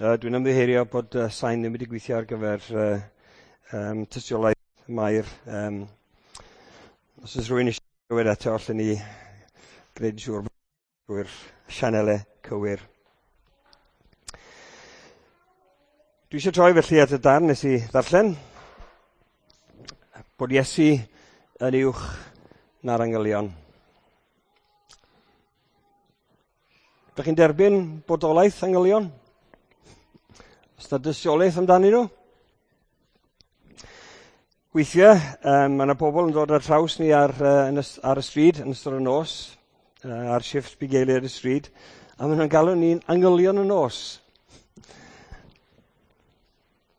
Dwi'n ymddiheurio bod sain ddim wedi gweithio ar gyfer tystiolaeth Mair. Os oes rhywun eisiau clywed eto, allen ni gwneud yn siŵr drwy'r sianelau cywir. Dwi eisiau troi felly at y darn nes i ddarllen. Bod Iesu yn uwch na'r angylion. Dych chi'n derbyn bodolaeth angylion? Os na dystiolaeth amdanyn nhw? Weithiau, mae yna pobl yn dod ar traws ni ar, yn y, ar y stryd yn ystod y nos, ar shifft bugeiliau ar y stryd, a maen nhw'n galw ni'n angylion y nos.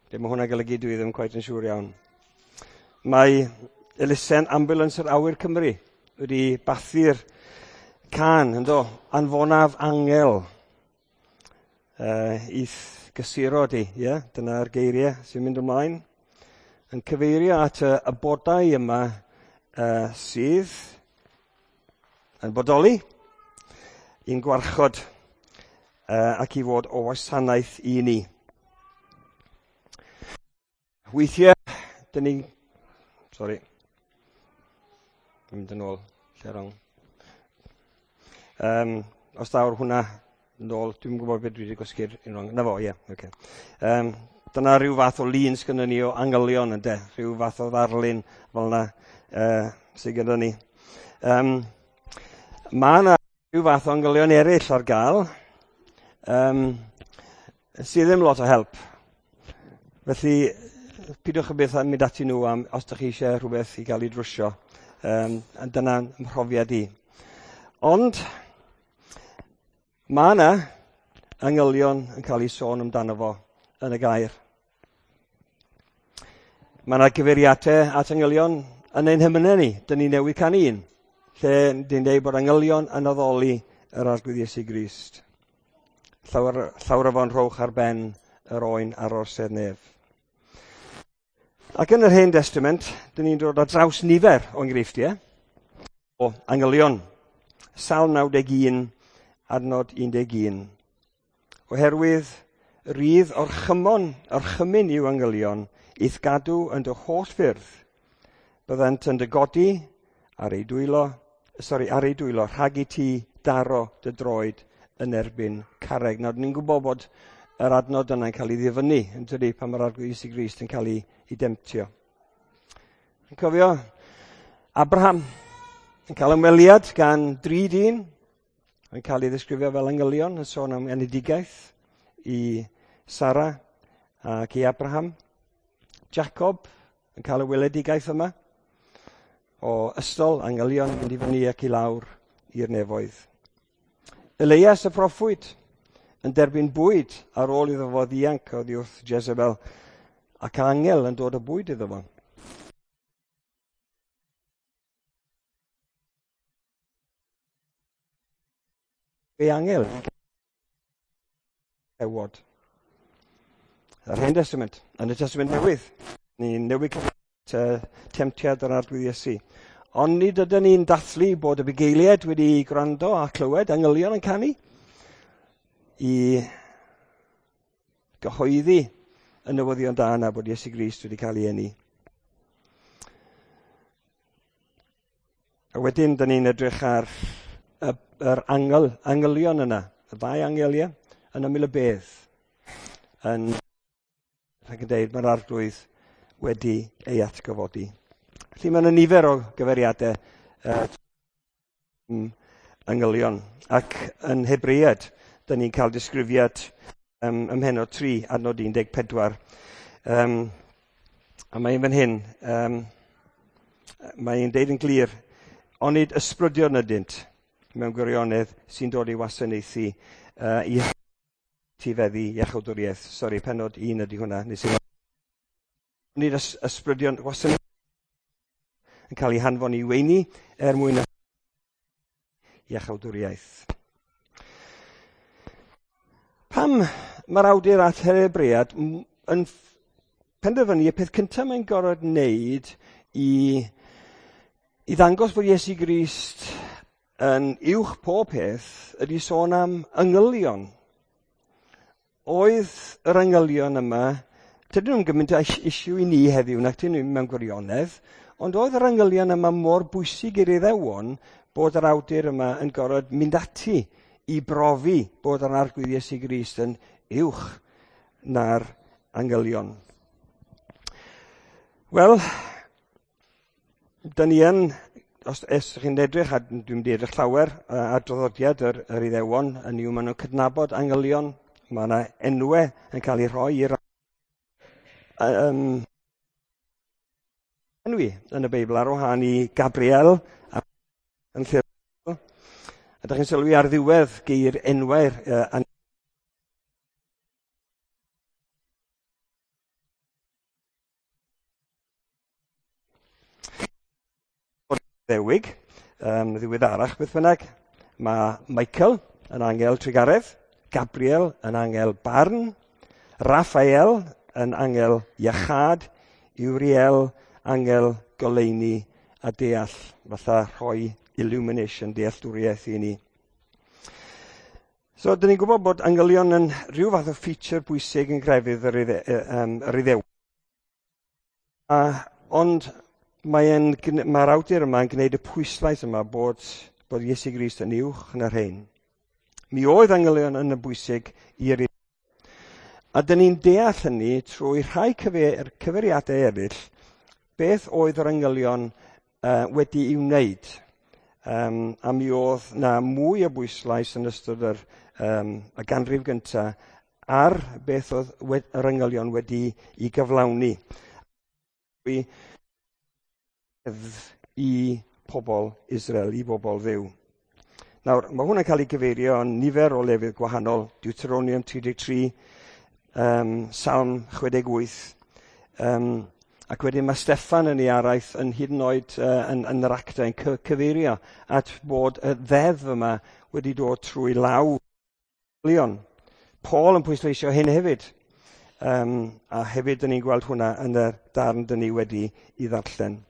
Be mae hwnna'n golygu dwi ddim cweit yn siŵr iawn. Mae elusen Ambulance yr Awyr Cymru wedi bathu'r can, ynddo, anfonaf angel i'th gysuro di, ie? Yeah? Dyna'r geiriau sy'n mynd ymlaen. Yn cyfeirio at y, y bodau yma sydd yn bodoli i'n gwarchod ac i fod o wasanaeth i ni. Weithiau, dyn ni'n... Sorry. Mynd yn ôl, lle wrong. Os daw'r hwnna yn ôl, dwi'n gwybod beth dwi wedi gwasgu'r un wrong. Na fo, ie, yeah, oce. Okay. Dyna rhyw fath o lun sgynnon ni o angylion ynde, rhyw fath o ddarlun fel yna sydd gyda ni. Mae yna rhyw fath o angylion eraill ar gael, sydd ddim lot o help. Felly, pidwch y beth yn mynd ati nhw am os ydych chi eisiau rhywbeth i gael ei drwsio. Dyna'n mhrofiad i. Ond, mae yna angylion yn cael ei sôn amdano fo yn y gair. Mae yna gyfeiriadau at angylion yn ein hymynau ni. Dyn ni newydd canu un, lle dyn dweud bod angylion yn addoli yr Arglwydd Iesu Grist. Llawer, llawer o fo'n rhowch ar ben yr oen ar orsedd nef. Ac yn yr Hen Testament, dyn ni'n dod ar draws nifer o enghreifftiau o angylion. Salm 91, adnod 11. Oherwydd rydd orchymon, orchymyn i'w angylion, i'th gadw yn dy holl ffyrdd. Byddant yn dy godi ar ei dwylo, sorry, ar ei dwylo, rhag i ti daro dy droed yn erbyn carreg. Nawr, ni'n gwybod bod yr adnod yna'n cael ei ddifynnu, yn tydi, pan mae'r Arglwydd Iesu Grist yn cael ei, ei demtio. Yn cofio Abraham yn cael ymweliad gan dri dyn, yn cael ei ddisgrifio fel angylion, yn sôn am enedigaeth i Sara ac i Abraham. Jacob yn cael y weledigaeth yma o ystol angylion yn mynd i fyny ac i lawr i'r nefoedd. Elias y proffwyd yn derbyn bwyd ar ôl iddo fo ddianc oddi wrth Jezebel ac angel yn dod o bwyd iddo fo. Ei angel. Ewod. Yr Hen Testament, yn y Testament Newydd. Ni'n newid temtiad yr Arglwydd Iesu. Ond nid ydyn ni'n dathlu bod y bugeiliaid wedi gwrando a clywed angylion yn canu i gyhoeddi y newyddion da yna bod Iesu Grist wedi cael ei eni. A wedyn, dyn ni'n edrych ar y, yr angel, angylion yna, y ddau angel, ie, yn ymyl y bedd, yn rhag yn deud mae'r Arglwydd wedi ei atgyfodi. Felly mae yna nifer o gyfeiriadau angylion. Ac yn Hebread, dyn ni'n cael disgrifiad ym mhennod 3, adnod 14. A mae'n fan hyn, mae'n deud yn glir, onid ysbrydion ydynt mewn gwirionedd sy'n dod i wasanaethu i tifeddu iachawdwriaeth. Sori, pennod 1 ydy hwnna. Nes i Nid ys ysbrydion wasanaeth yn cael ei hanfon i weini er mwyn iachawdwriaeth. Pam mae'r awdur at Hebread yn penderfynu y peth cyntaf mae'n gorfod wneud i, i ddangos bod Iesu Grist yn uwch pob peth ydy sôn am angylion. Oedd yr angylion yma, dydyn nhw'n gymaint o issue i ni heddiw nac dyn nhw mewn gwirionedd, ond oedd yr angylion yma mor bwysig i'r Iddewon bod yr awdur yma yn gorfod mynd ati i brofi bod yr Arglwydd Iesu Grist yn uwch na'r angylion. Wel, dyn ni yn, os ydych chi'n edrych, a dwi'n mynd i edrych llawer ar draddodiad yr Iddewon, yn yw maen nhw'n cydnabod angylion, mae yna enwau yn cael eu rhoi i'r enwi yn y Beibl ar wahân i Gabriel a yn lle. A ydych chi'n sylwi ar ddiwedd geir enwau'r Iddewig, ddiweddarach beth bynnag, mae Michael yn angel trugaredd, Gabriel yn angel barn, Raphael yn angel iachâd, Uriel angel goleuni a deall, fatha rhoi illumination, dealltwriaeth i ni. So, dyn ni'n gwybod bod angylion yn rhyw fath o feature bwysig yn grefydd yr Iddew. Ond mae'r awdur yma yn gwneud y pwyslais yma bod Iesu Grist yn uwch na'r rhain. Mi oedd angylion yn y bwysig i'r Iddew. A dyn ni'n deall hynny trwy rhai cyfeiriadau eraill beth oedd yr angylion wedi'i wneud. A mi oedd na mwy o bwyslais yn ystod y ganrif gyntaf ar beth oedd yr angylion wedi i gyflawni. I pobl Israel, i bobl Dduw. Nawr, mae hwn yn cael ei gyfeirio yn nifer o lefydd gwahanol. Deuteronomium 33, Salm 68, ac wedyn mae Steffan yn ei araith yn hyd yn oed yn yr actau yn cyfeirio at bod y ddeddf yma wedi dod trwy law Leon. Paul yn pwysleisio hyn hefyd. A hefyd dyn ni'n gweld hwnna yn y darn dyn ni wedi i ddarllen.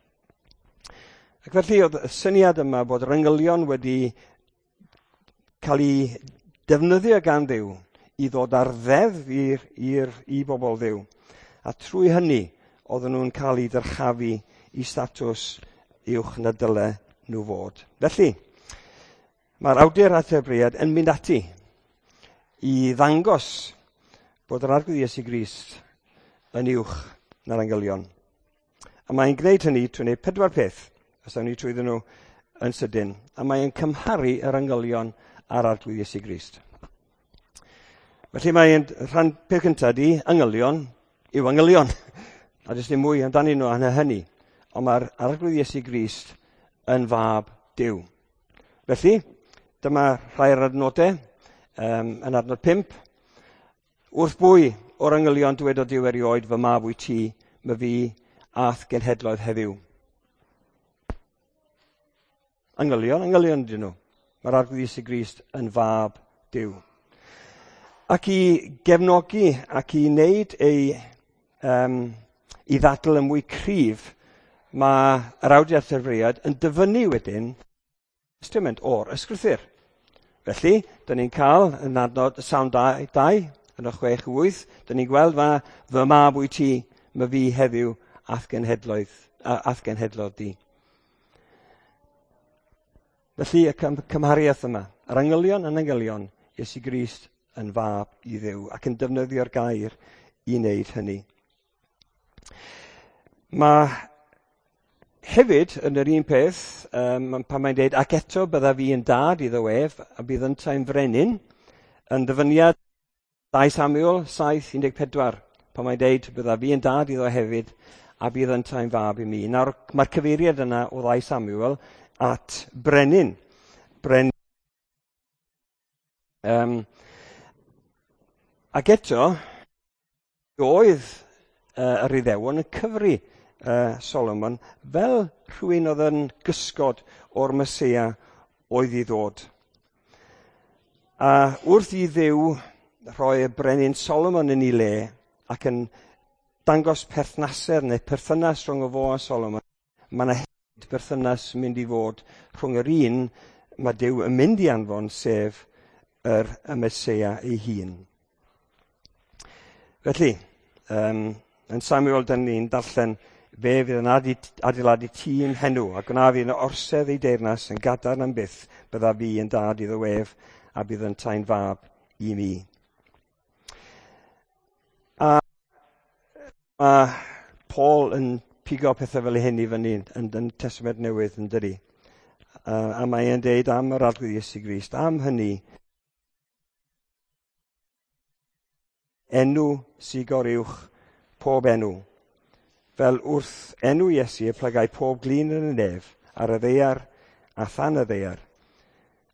Ac felly oedd y syniad yma bod yr angylion wedi cael ei defnyddio gan Dduw i ddod ar ddeddf i bobl Dduw. A trwy hynny oedden nhw'n cael eu dyrchafu i statws uwch na dyle nhw fod. Felly, mae'r awdur at Hebreaid yn mynd ati i ddangos bod yr Arglwydd Iesu Grist yn uwch na'r angylion. A mae'n gwneud hynny trwy wneud 4 peth, os awn ni trwyddyn nhw yn sydyn. A mae'n cymharu yr angylion a'r Arglwydd Iesu Grist. Felly mae'n rhan peth cyntaf di, angylion yw angylion. A does dim mwy amdanyn nhw na hynny. Ond mae'r Arglwydd Iesu Grist yn fab Duw. Felly, dyma rhai o'r adnodau, yn adnod 5. Wrth bwy o'r angylion dywedodd Duw erioed, fy mab wyt ti, my fi a'th genhedloedd heddiw. Angylion, angylion ydyn nhw. Mae'r Arglwydd Iesu Grist yn fab Duw. Ac i gefnogi ac i wneud ei i ddadl yn mwy cryf, mae yr awdur at Hebreaid yn dyfynnu wedyn testament o'r ysgrythur. Felly, dyn ni'n cael yn adnod Salm 2, yn y 6-8, dyn ni'n gweld fy mab wyt ti, my fi heddiw a'th genhedlodd di. Felly, y cymhariaeth yma, yr angylion yn angylion, Iesu Grist yn fab i Dduw, ac yn defnyddio'r gair i wneud hynny. Mae hefyd yn yr un peth, pan mae'n dweud, ac eto bydda fi yn dad iddo ef, a bydd yntau'n frenin, yn ddyfyniad 2 Samuel 7:14, pan mae'n dweud, bydda fi yn dad iddo hefyd, a bydd yntau'n fab i mi. Nawr, mae'r cyfeiriad yna o 2 Samuel at brenin. Ac eto, oedd yr Iddewon yn cyfri Solomon fel rhywun oedd yn gysgod o'r Meseia oedd i ddod. A wrth i Dduw rhoi y brenin Solomon yn ei le ac yn dangos perthnasedd neu perthynas rhwng y fo a Solomon, mae yna hefyd berthynas mynd i fod rhwng yr un mae Duw yn mynd i anfon, sef y Meseia ei hun. Felly, yn Samuel, dyn ni'n darllen fe fydd yn adeiladu tîm henw a gwna fi yn orsedd ei deyrnas yn gadarn am byth, bydda fi yn dad iddo ef a bydd yn tai'n fab i mi. A mae Paul yn pigo pethau fel hyn i fyny yn Testament Newydd yn dydi. A mae e'n deud am yr Arglwydd Iesu Grist, am hynny, enw sy'n goruwch pob enw. Fel wrth enw Iesu y plygai pob glin yn y nef, ar y ddaear a than y ddaear,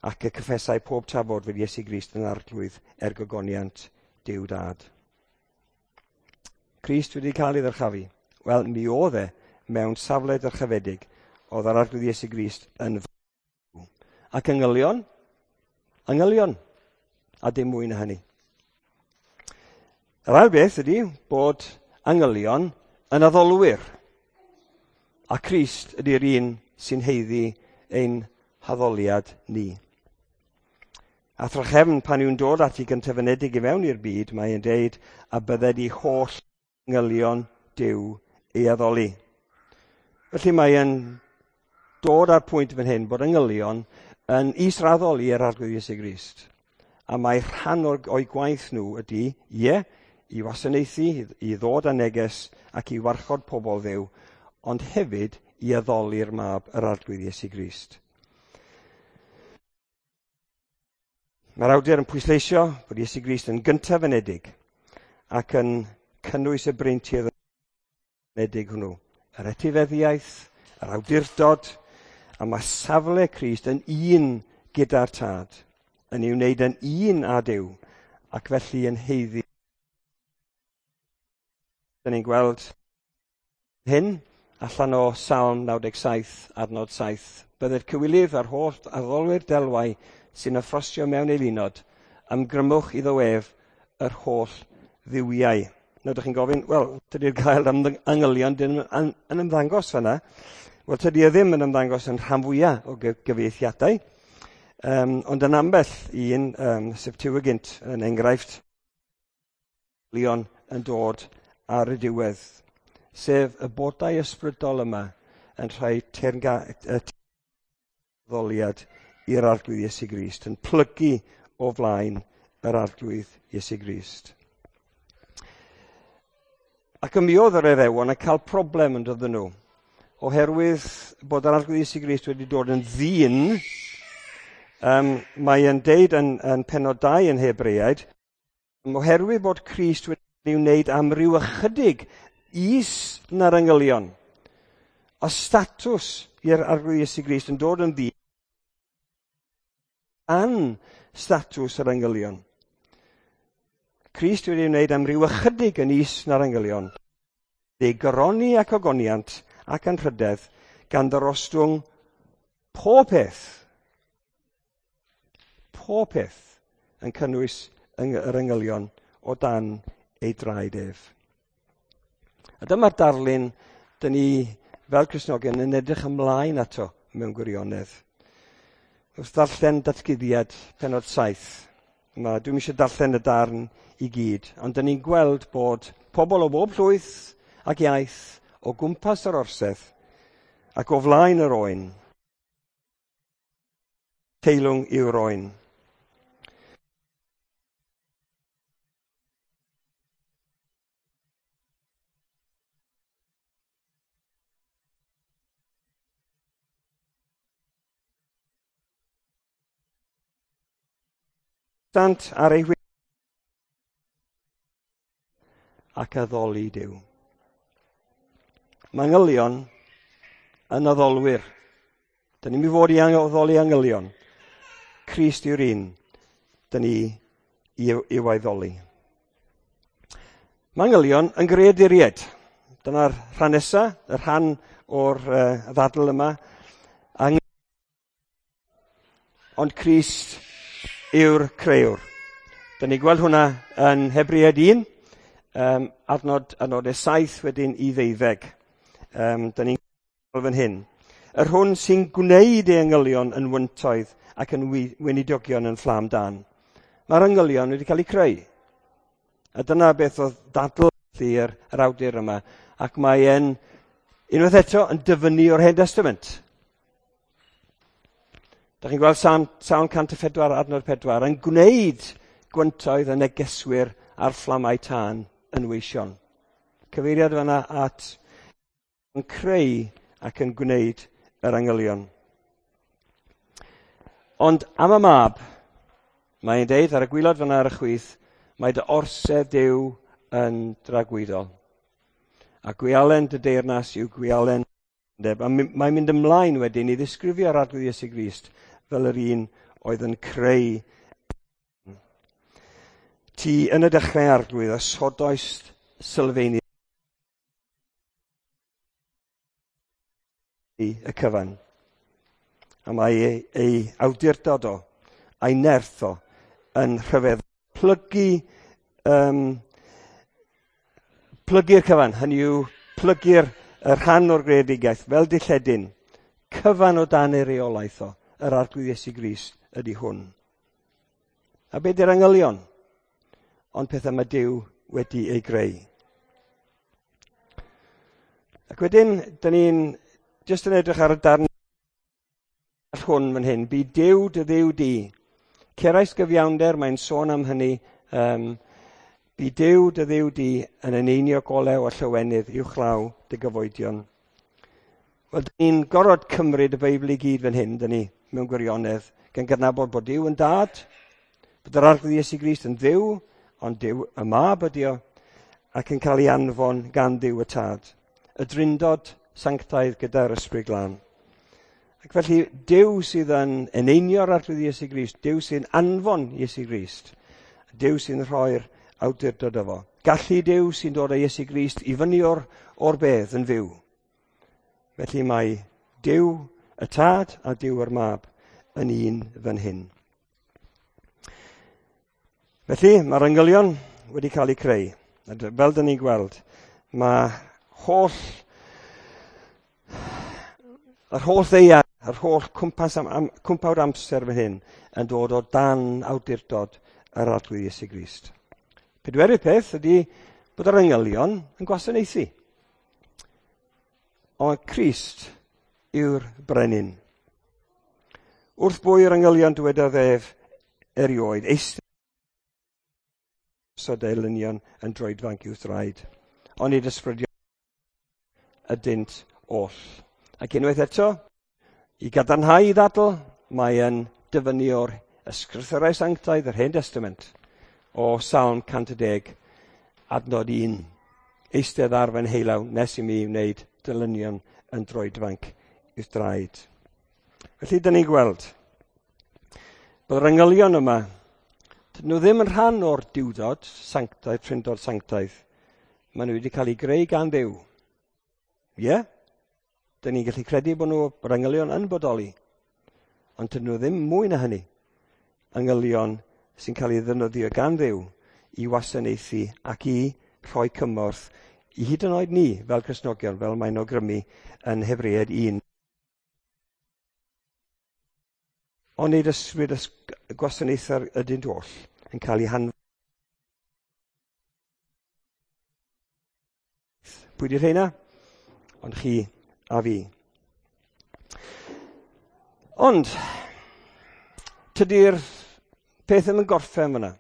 ac y cyffesau pob tafod fod Iesu Grist yn arglwydd er gogoniant Duw Dad. Crist wedi cael ei ddyrchafu. Wel, mi oedd e mewn safle dyrchafedig oedd yr Arglwydd Iesu Grist yn fyw. Ac angylion, angylion, a dim mwy na hynny. Yr ail beth ydy bod angylion yn addolwyr. A Crist ydy'r un sy'n haeddu ein haddoliad ni. A thrachefn, pan yw'n dod at ei gyntafenedig i mewn i'r byd, mae'n deud a bydded i holl angylion Duw ei addoli. Felly mae'n dod ar pwynt fan hyn bod angylion yn israddol i'r Arglwydd Iesu Grist. A mae rhan o'i gwaith nhw ydy, ie, i wasanaethu, i ddod â neges ac i warchod pobl Dduw, ond hefyd i addoli'r mab yr Arglwydd Iesu Grist. Mae'r awdur yn pwysleisio bod Iesu Grist yn gyntaf anedig ac yn cynnwys y breintiau anedig hwnnw. Yr etifeddiaeth, yr awdurdod, a mae safle Crist yn un gyda'r Tad, yn ei wneud yn un â Duw, ac felly yn haeddu. Dyn ni'n gweld hyn allan o Salm 97, adnod 7. Byddai'r cywilydd a'r holl addolwyr delwau sy'n ymffrostio mewn eilunod, ymgrymwch iddo ef yr holl dduwiau. Nawr, ydych chi'n gofyn, wel, tydi'r gair am angylion ddim yn ymddangos fanna. Wel, tydi e ddim yn ymddangos yn rhan fwyaf o gyfieithiadau, ond yn ambell un, Septuagint yn enghraifft, angylion yn dod ar y diwedd, sef y bodau ysbrydol yma yn rhoi teyrngaddoliad i'r Arglwydd Iesu Grist, yn plygu o flaen yr Arglwydd Iesu Grist. Ac mi oedd yr Iddewon yn cael problem yn dod nhw, oherwydd bod yr Arglwydd Iesu Grist wedi dod yn ddyn. Mae e'n deud yn pennod 2 yn Hebreaid, oherwydd bod Crist wedi wneud am ryw ychydig is na'r angylion, a statws i'r Arglwydd Iesu Grist yn dod yn ddyn an statws yr angylion. Crist wedi wneud am ryw ychydig yn is na'r angylion, ei goroni ac ogoniant ac anrhydedd, gan ddarostwng pob peth. Pob peth yn cynnwys yr angylion o dan ei draed ef. A dyma'r darlun dyn ni fel Cristnogion yn edrych ymlaen ato mewn gwirionedd. Wrth ddarllen Datguddiad pennod 7, dwi'm eisiau darllen y darn i gyd, ond dyn ni'n gweld bod pobl o bob llwyth ac iaith o gwmpas yr orsedd ac o flaen yr oen. Teilwng yw'r oen. Sant ar ei ac addoli Duw. Mae angylion yn addolwyr. Dyn ni'n mynd i fod i addoli angylion. Crist yw'r un dyn ni i'w addoli. Mae angylion yn greaduriaid. Dyna'r rhan nesa, y rhan o'r ddadl yma. Ond Crist yw'r crëwr. Dyn ni'n gweld hwnna yn Hebreaid 1, adnodau 7 wedyn i 12. Dyn ni'n gweld fan hyn. Yr hwn sy'n gwneud ei angylion yn wyntoedd ac yn weinidogion yn fflam dan. Mae'r angylion wedi cael eu creu. A dyna beth oedd dadl i'r awdur yma. Ac mae e'n, unwaith eto, yn dyfynnu o'r Hen Testament. Da chi'n gweld Salm 104 adnod 4 yn gwneud gwyntoedd y negeswyr a'r fflamau tân yn weision. Cyfeiriad fanna at yn creu ac yn gwneud yr angylion. Ond am y mab, mae'n deud ar y gwylod fanna ar y chwith, mae dy orsedd Duw yn dragwyddol. A gwialen dy deyrnas yw gwialen undeb. A mae'n mynd ymlaen wedyn i ddisgrifio'r Arglwydd Iesu Grist fel yr un oedd yn creu. Ti yn y dechrau, Arglwydd, osodoist sylfeini y cyfan. A mae ei awdurdod o, a'i nerth o, yn rhyfedd. Plygu'r cyfan, hynny yw plygu'r rhan o'r greadigaeth fel dilledyn, cyfan o dan ei reolaeth o, yr Arglwydd Iesu Grist ydy hwn. A be di'r angylion? Ond pethau mae Duw wedi ei greu. Ac wedyn, dyn ni'n jyst yn edrych ar y darn hwn fan hyn. Bu Duw dy Dduw di. Cerais gyfiawnder, mae'n sôn am hynny. Bu Duw dy Dduw di yn eneinio golew a llywenydd uwchlaw dy gyfoedion. Wel, dyn ni'n gorfod cymryd y Beibl i gyd fan hyn, dyn ni, mewn gwirionedd, gan gydnabod bod Duw yn dad, bod yr Arglwydd Iesu Grist yn Dduw, ond Duw y Mab ydi o, ac yn cael ei anfon gan Dduw y Tad. Y Drindod sanctaidd gyda'r Ysbryd Glân. Ac felly, Duw sydd yn eneinio'r Arglwydd Iesu Grist, Duw sy'n anfon Iesu Grist, Duw sy'n rhoi'r awdurdod efo. Gallu Duw sy'n dod â Iesu Grist i fyny o'r bedd yn fyw. Felly mae Duw y Tad a Duw yr Mab yn un fan hyn. Felly, mae'r angylion wedi cael eu creu. A fel dyn ni'n gweld, mae yr holl ddaear, yr holl cwmpas cwmpawd amser fan hyn yn dod o dan awdurdod yr Arglwydd Iesu Grist. Pedwerydd peth ydy bod yr angylion yn gwasanaethu. Ond Crist yw'r brenin. Wrth bwy yr angylion dywedodd ef erioed, eistedd elynion yn droedfanc i'w thraed, ond nid ysbrydion ydynt oll. Ac unwaith eto, i gadarnhau i ddadl, mae yn dyfynnu o'r Ysgrythurau Sanctaidd, yr Hen Testament, o Salm 110, adnod 1. Eistedd ar fy nheilaw nes i mi wneud dylynion yn droedfanc i'w draed. Felly, dyn ni'n gweld bod yr angylion yma, dyn nhw ddim yn rhan o'r diwdod sanctaidd, trindod sanctaidd. Maen nhw wedi cael eu greu gan Dduw. Ie? Yeah? Dyn ni'n gallu credu bod nhw, bod angylion yn bodoli. Ond dyn nhw ddim mwy na hynny. Angylion sy'n cael ei ddefnyddio gan Dduw i wasanaethu ac i rhoi cymorth i hyd yn oed ni fel Cristnogion, fel mae'n awgrymu yn Hebreaid 1. Ond nid ysbryd gwasanaethau ydynt oll yn cael ei hanfon. Pwy di'r rheina? Ond chi a fi. Ond, tydi'r peth ddim yn gorffen fyna.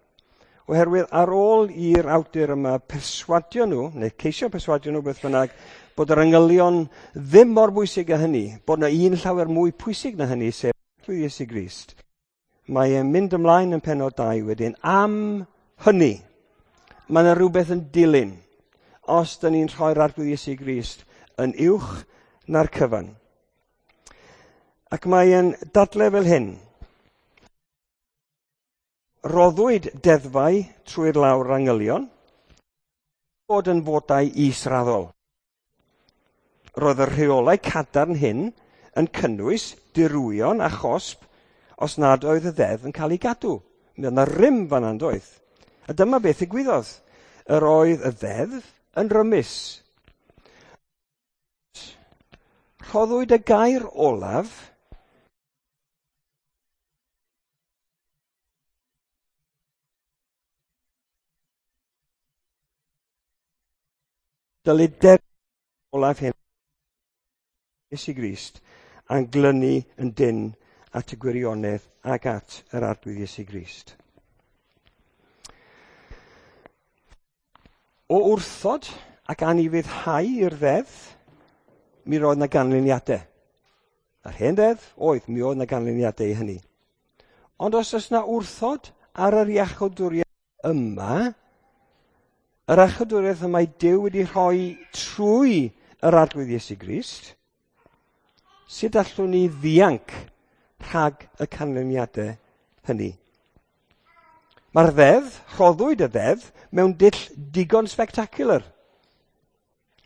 Oherwydd ar ôl i'r awdur yma perswadio nhw, neu ceisio perswadio nhw beth bynnag, bod yr angylion ddim mor bwysig â hynny, bod yna un llawer mwy pwysig na hynny, sef Iesu Grist. Mae e'n mynd ymlaen yn pennod 2 wedyn. Am hynny, mae yna rhywbeth yn dilyn os dyn ni'n rhoi'r Arglwydd Iesu Grist yn uwch na'r cyfan. Ac mae e'n dadle fel hyn. Roddwyd deddfau trwy'r lawr angylion, bod yn fodau israddol. Roedd y rheolau cadarn hyn yn cynnwys dirwyon a chosb os nad oedd y ddeddf yn cael ei gadw. Mi oedd yna rym fan yna, doedd? A dyma beth ddigwyddodd. Yr oedd y ddeddf yn rymus. Rhoddwyd y gair olaf Dylid derbyn olaf hyn Iesu Grist a'n glynu yn dynn at y gwirionedd ac at yr Arglwydd Iesu Grist. O wrthod ac anufuddhau i'r ddeddf, mi roedd 'na ganlyniadau. Yr hen ddeddf oedd, mi oedd 'na ganlyniadau i hynny. Ond os oes 'na wrthod ar yr iachawdwriaeth yma, yr iachawdwriaeth y mae Duw wedi rhoi trwy yr Arglwydd Iesu Grist, sut allwn ni ddianc rhag y canlyniadau hynny? Mae'r ddeddf, rhoddwyd y ddeddf, mewn dull digon spectacular.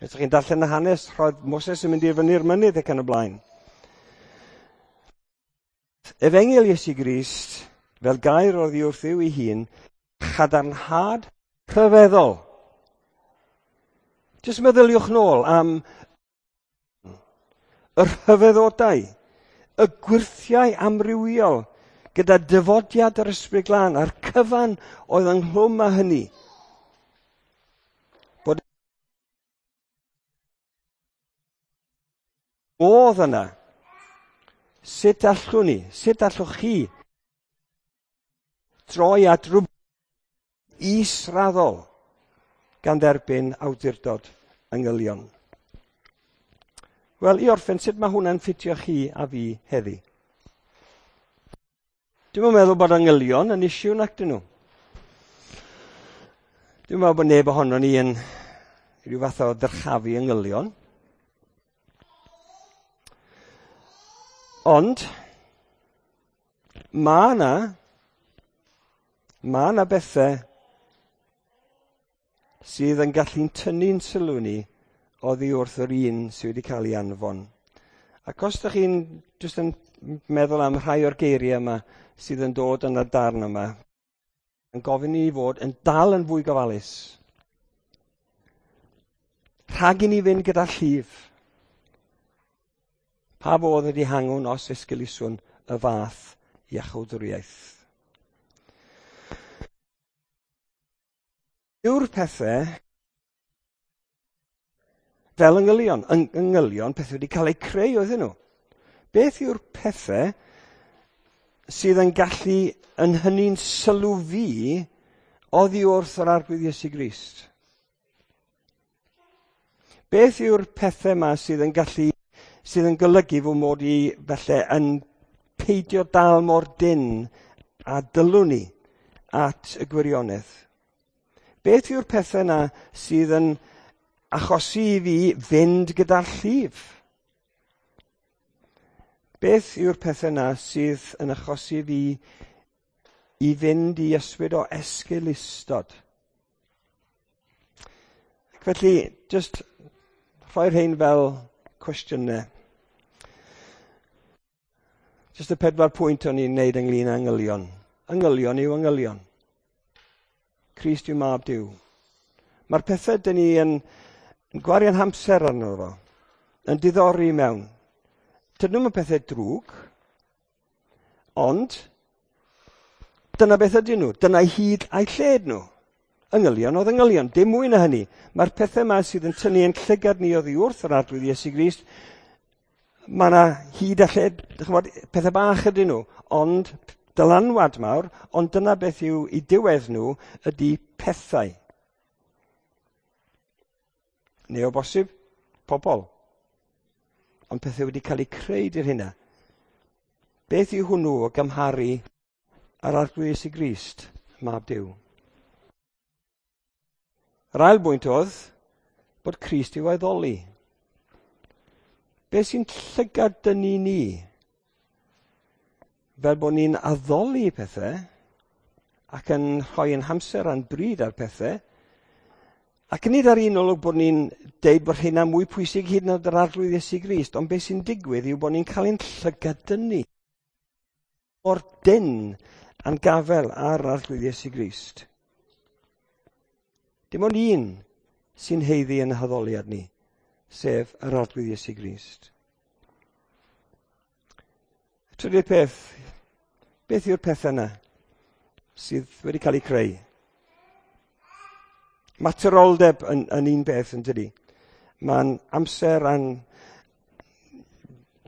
Os ydych chi'n darllen y hanes, roedd Moses yn mynd i fyny'r mynydd ac yn y blaen. Efengyl Iesu Grist, fel gair oddi wrth Dduw ei hun, chadarnhad rhyfeddol. Jyst meddyliwch nôl am y rhyfeddodau, y gwyrthiau amrywiol gyda dyfodiad yr Ysbryd Glân a'r cyfan oedd ynghlwm â hynny. Bod modd yna. Sut allwn ni, sut allwch chi droi at rhywbeth israddol gan dderbyn awdurdod angylion? Wel, i orffen, sut mae hwnna'n ffitio chi a fi heddi? Dwi'm yn meddwl bod angylion yn issue nac dyn nhw. Dwi'n meddwl bod neb ohonon ni yn rhyw fath o ddyrchafu angylion. Ond mae yna mae yna bethau sydd yn gallu'n tynnu'n sylw ni oddi wrth yr un sydd wedi cael ei anfon. Ac os ydych chi'n jyst yn meddwl am rhai o'r geiriau yma sydd yn dod yn y darn yma, yn gofyn i ni fod yn dal yn fwy gofalus. Rhag i ni fynd gyda llif. Pa fodd ydi hangwn os esgeluswn y fath iachawdwriaeth? Yw'r pethau fel yngylion, yngylion, pethau wedi cael eu creu oedden nhw. Beth yw'r pethau sydd yn gallu yn hynny'n sylw fi oddi wrth yr Arglwydd Iesu Grist? Beth yw'r pethau yma sydd yn gallu, sydd yn golygu fy mod i falle yn peidio dal mor dynn a dylwn i at y gwirionedd? Beth yw'r pethau yna sydd yn achosi i fi fynd gyda'r llif? Beth yw'r pethau yna sydd yn achosi fi i fynd i ysbryd o esgeulustod? Ac felly, jyst rhoi'r rhain fel cwestiynau. Jyst y 4 pwynt o'n i'n wneud ynglyn â angylion. Angylion yw angylion. Crist yw mab Duw. Mae'r pethau dyn ni yn gwario'n hamser arno fo, yn diddori mewn. Dyn nhw'm yn pethau drwg, ond dyna beth ydyn nhw. Dyna hyd a'i lled nhw. Angylion oedd angylion, dim mwy na hynny. Mae'r pethau yma sydd yn tynnu ein llygad ni oddi wrth yr Arglwydd Iesu Grist, mae yna hyd a lled, ch'mod, pethau bach ydyn nhw, ond dylanwad mawr, ond dyna beth yw i diwedd nhw ydy pethau. Neu o bosib, pobl. Ond pethau wedi cael eu creu di'r hynna. Beth yw hwnnw o gymharu â'r Arglwydd Iesu Grist, mab Duw? Yr ail bwynt oedd bod Crist i'w addoli. Beth sy'n llygad dynnu ni? Fel bod ni'n addoli pethau ac yn rhoi ein hamser a'n bryd ar pethau, ac nid ar un olwg bod ni'n deud bod hynna mwy pwysig hyd yn oed yr Arglwydd Iesu Grist, ond beth sy'n digwydd yw bod ni'n cael ein llygad dynnu o'r dyn a'n gafel ar Arglwydd Iesu Grist. Dim ond un sy'n haeddu yn haddoliad ni, sef yr Arglwydd Iesu Grist. Trydydd peth, beth yw'r pethau yna sydd wedi cael eu creu? Materoldeb yn un peth, yn dydi? Mae'n amser a'n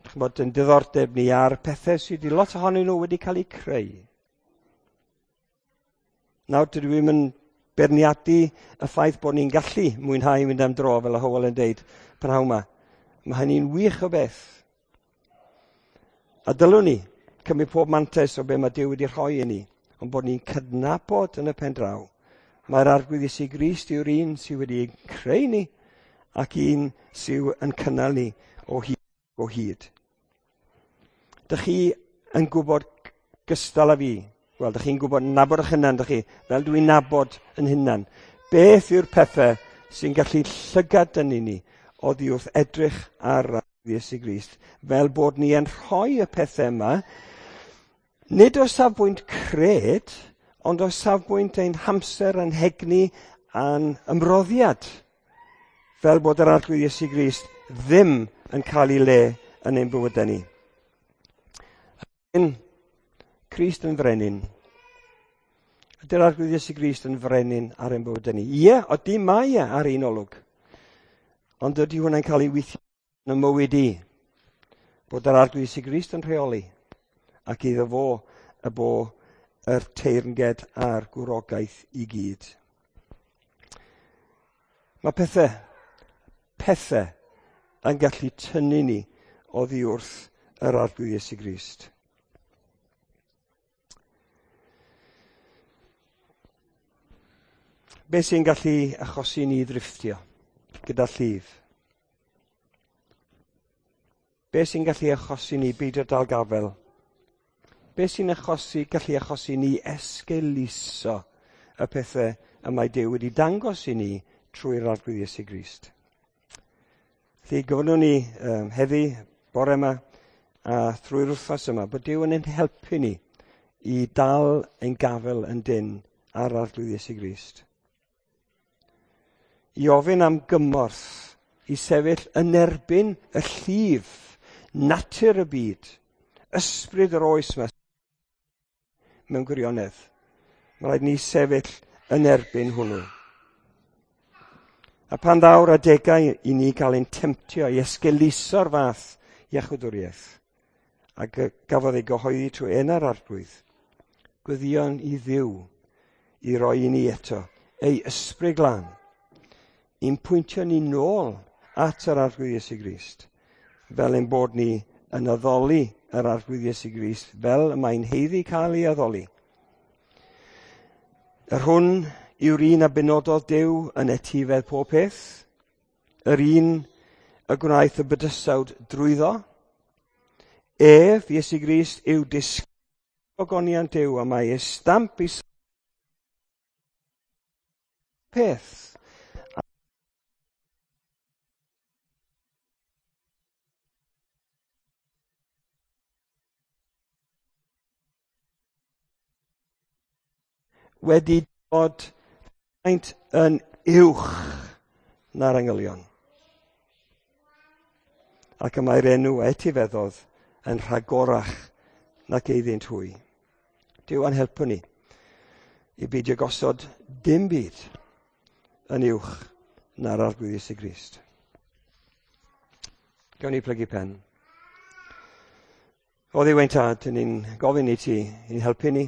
ch'mod, yn diddordeb ni ar pethau sydd wedi lot ohonyn nhw wedi cael eu creu. Nawr, dydw i'm yn beirniadu y ffaith bod ni'n gallu mwynhau mynd am dro, fel y Hywel yn deud prynhawn yma. Mae hynny'n wych o beth. A dylwn ni cymryd pob mantais o be mae Duw wedi rhoi i ni, ond bod ni'n cydnabod yn y pen draw. Mae'r Arglwydd Iesu Grist yw'r un sydd wedi creu ni ac un sydd yn cynnal ni o hyd. O hyd. Dych chi yn gwybod gystal â fi? Wel, dych chi'n gwybod nabod eich hunan, dych chi, fel dwi'n nabod yn hunan. Beth yw'r pethau sy'n gallu llygad dynnu ni oddi wrth edrych ar Iesu Grist, fel bod ni yn rhoi y pethau yma, nid o safbwynt cred, ond o safbwynt ein hamser, ein hegni a'n ymroddiad, fel bod yr Arglwydd Iesu Grist ddim yn cael ei le yn ein bywydau ni. Crist yn frenin. Ydy'r Arglwydd Iesu Grist yn frenin ar ein bywydau ni? Ie, odi mae e ar un olwg. Ond ydy hwnna'n cael ei weithio yn y mywyd i? Bod yr Arglwydd Iesu Grist yn rheoli ac iddo fo y bo yr teyrnged a'r gwrogaeth i gyd. Mae pethau yn gallu tynnu ni oddi wrth yr Arglwydd Iesu Grist. Be sy'n gallu achosi ni ddrifftio gyda llif? Be sy'n gallu achosi ni beidio dal gafel? Be sy'n gallu achosi ni esgeuluso y pethau y mae Duw wedi dangos i ni trwy'r Arglwydd Iesu Grist? Felly gofynnwn ni heddi, bore yma, a thrwy'r wythnos yma, bod Duw yn ein helpu ni i dal ein gafel yn dynn ar Arglwydd Iesu Grist. I ofyn am gymorth i sefyll yn erbyn y llif, natur y byd, ysbryd yr oes yma mewn gwirionedd. Mae rhaid ni sefyll yn erbyn hwnnw. A pan ddaw'r adegau i ni gael ein temtio i esgeuluso'r fath iachawdwriaeth, ac gafodd ei gyhoeddi trwy enau'r Arglwydd, gweddïon i Dduw i roi i ni eto ei ysbryd glân, i'n pwyntio ni nôl at yr Arglwydd Iesu Grist, fel ein bod ni yn addoli yr Arglwydd Iesu Grist, fel y mae'n haeddu cael ei addoli. Yr hwn yw'r un a benododd Duw yn etifedd pob peth, yr un y gwnaeth y bydysawd drwyddo. Ef, Iesu Grist, yw disgogoniant Duw, a mae ei stamp i peth. Wedi dod faint yn uwch na'r angylion. Ac y mae'r enw a etifeddodd yn rhagorach nac eiddynt hwy. Duw a'n helpu ni i beidio gosod dim byd yn uwch na'r Arglwydd Iesu Grist. Gawn ni plygu pen. O Dduw ein Tad, ni'n gofyn i ti i'n helpu ni